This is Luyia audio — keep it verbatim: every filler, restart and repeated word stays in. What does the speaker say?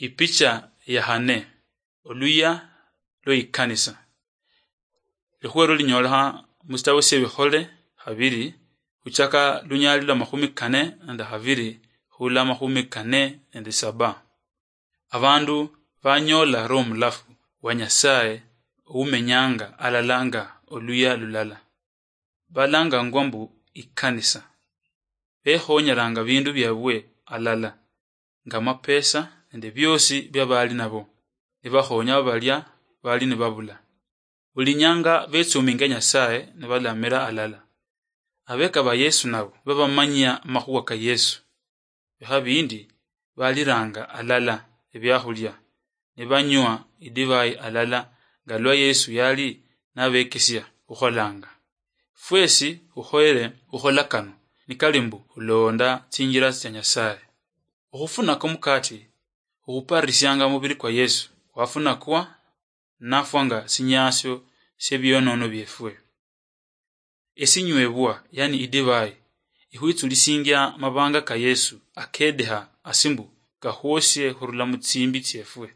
Ipicha ya hane, oluya lwe ikanisa. Likhuwa elo linyolekha musitabo siebikhole khabili, khuchaka lunyali lwa makhumi kane nende khabili khula makhumi kane nende saba. Abandu banyola Roho Mulafu wa Nyasaye oumenyanga alala nga oluya lulala. Balangangwa mbu ikanisa. Bekhonyelanga bindu biabwe alala, nga amapesa nende biosi bia bali nabo, nibakhonya balia bali nibabula. Buli nyanga betsuminga Nyasaye nibalamira alala. Abeka ba Yesu nabo babamanyia amakhuwa ka Yesu. Bikha bindi baliranga alala ebiakhulia, nibanywa idivai alala, nga lwa Yesu yali nabekesia khukholanga. Fwesi khukhoyere khukhola kano, nikali mbu khulonda tsinjila tsia Nyasaye. Okhufunaka omukati, okhuparisianga omubili kwa Yesu, wafunakwa nafwa nga sinyaasio sie bionono biefwe. Esinywebwa, yani idivai, ikhwitsulisingia mabanga ka Yesu akedeha asi mbu kakhwosie khurula mu tsimbi tsiefwe.